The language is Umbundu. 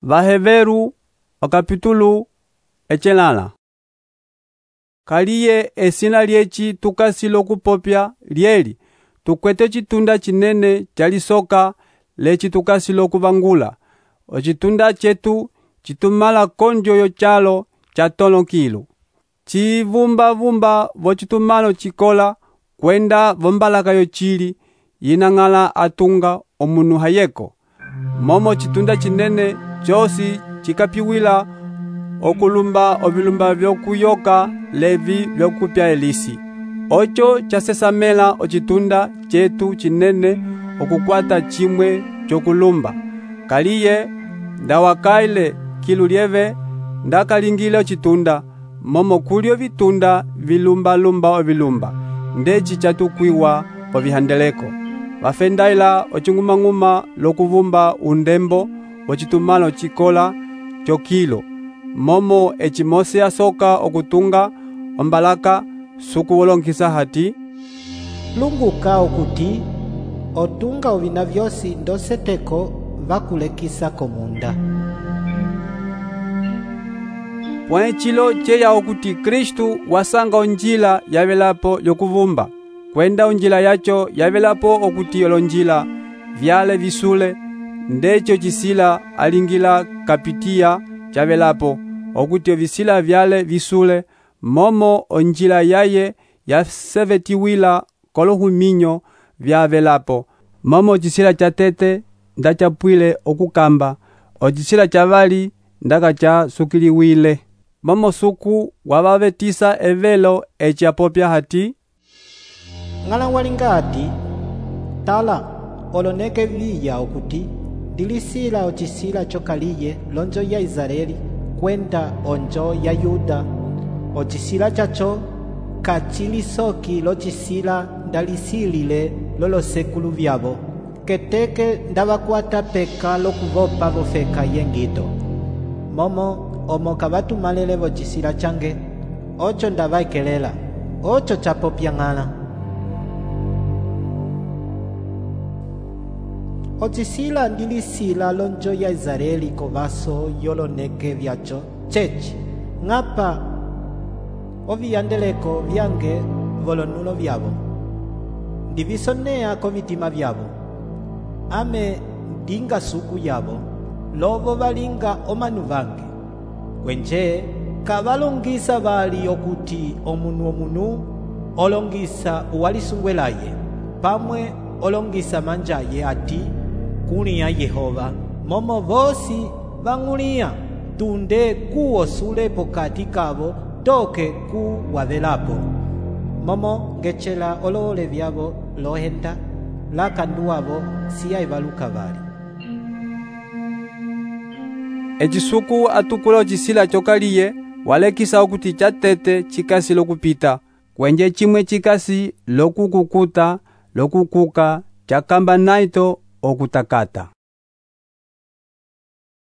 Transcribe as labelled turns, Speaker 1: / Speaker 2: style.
Speaker 1: Vaheveru okapitulu echelala. Kaliye esina liechi tukasi lokupopya lieli tukwete chitunda chinene chalisoka lechi tukasi lokuvangula. Ochitunda chetu chitumala konjo yo chalo cha tono kilu. Chivumba vochitumalo chikola kwenda vombalaka yo chili yinang'ala atunga omunu hayeko. Momo chitunda chinene chosi chikapiwila okulumba ovilumba vyokuyoka levi vyokupya elisi. Ocho chasesamela ochitunda chetu chinene okukwata chimwe chokulumba. Kaliye ndawakaile kilu lieve ndakalingile ochitunda momo kulyo vitunda vilumba ovilumba ndechi chatukwiwa po vihandeleko. Vafendaila ochingumanguma lokuvumba undembo wochitumalo chikola chokilo momo echimose asoka okutunga ombalaka sukuwolonkisa hati
Speaker 2: lunguka okuti otunga ovina vyosi ndoseteko vakulekisa komunda.
Speaker 1: Pwenchilo cheya okuti Kristu wasanga onjila yavelapo yokuvumba kwenda onjila yacho yavelapo okuti olonjila vyale visule ndecho chisila alingila kapitia chavelapo okuti ovisila vyale visule momo onjila yaye yasevetiwila kolohuminyo vyavelapo momo chisila chatete ndachapwile okukamba ochisila chavali ndaka cha sukiliwile momo suku wabavetisa evelo echapopya hati
Speaker 2: ng'ala walinga ati tala oloneke viya okuti ndilisila ochisila chokaliye lonjo ya Israeli kwenda onjo ya Yuda ochisila chacho kachilisoki lochisila ndalisilile lolosekulu vyabo keteke ndavakwata peka lokuvopa vofeka yengito momo omoka vatumalele vochisila change ocho ndavaikelela ocho chapopya ng'ala. Ochisila ndilisila lonjo ya Israeli kovaso yoloneke vyacho chechi ng'apa oviyandeleko vyange volonulo vyavo ndivisonea kovitima vyavo ame ndinga suku yavo lovo valinga omanu vange kwenje kavalongisa vali okuti omunu olongisa uwalisungwelaye pamwe olongisa manjaye ati kunia Yehova momo vosi vang'ulia tunde kuwosule pokati kavo toke ku wavelapo momo ngechela olole vyavo lohenda lakanduwavo siya ivaluka vali.
Speaker 1: Echisuku atukula ochisila chokaliye walekisa okuti chatete chikasi lokupita kwenje chimwe chikasi lokukukuta lokukuka chakamba naito okutakata.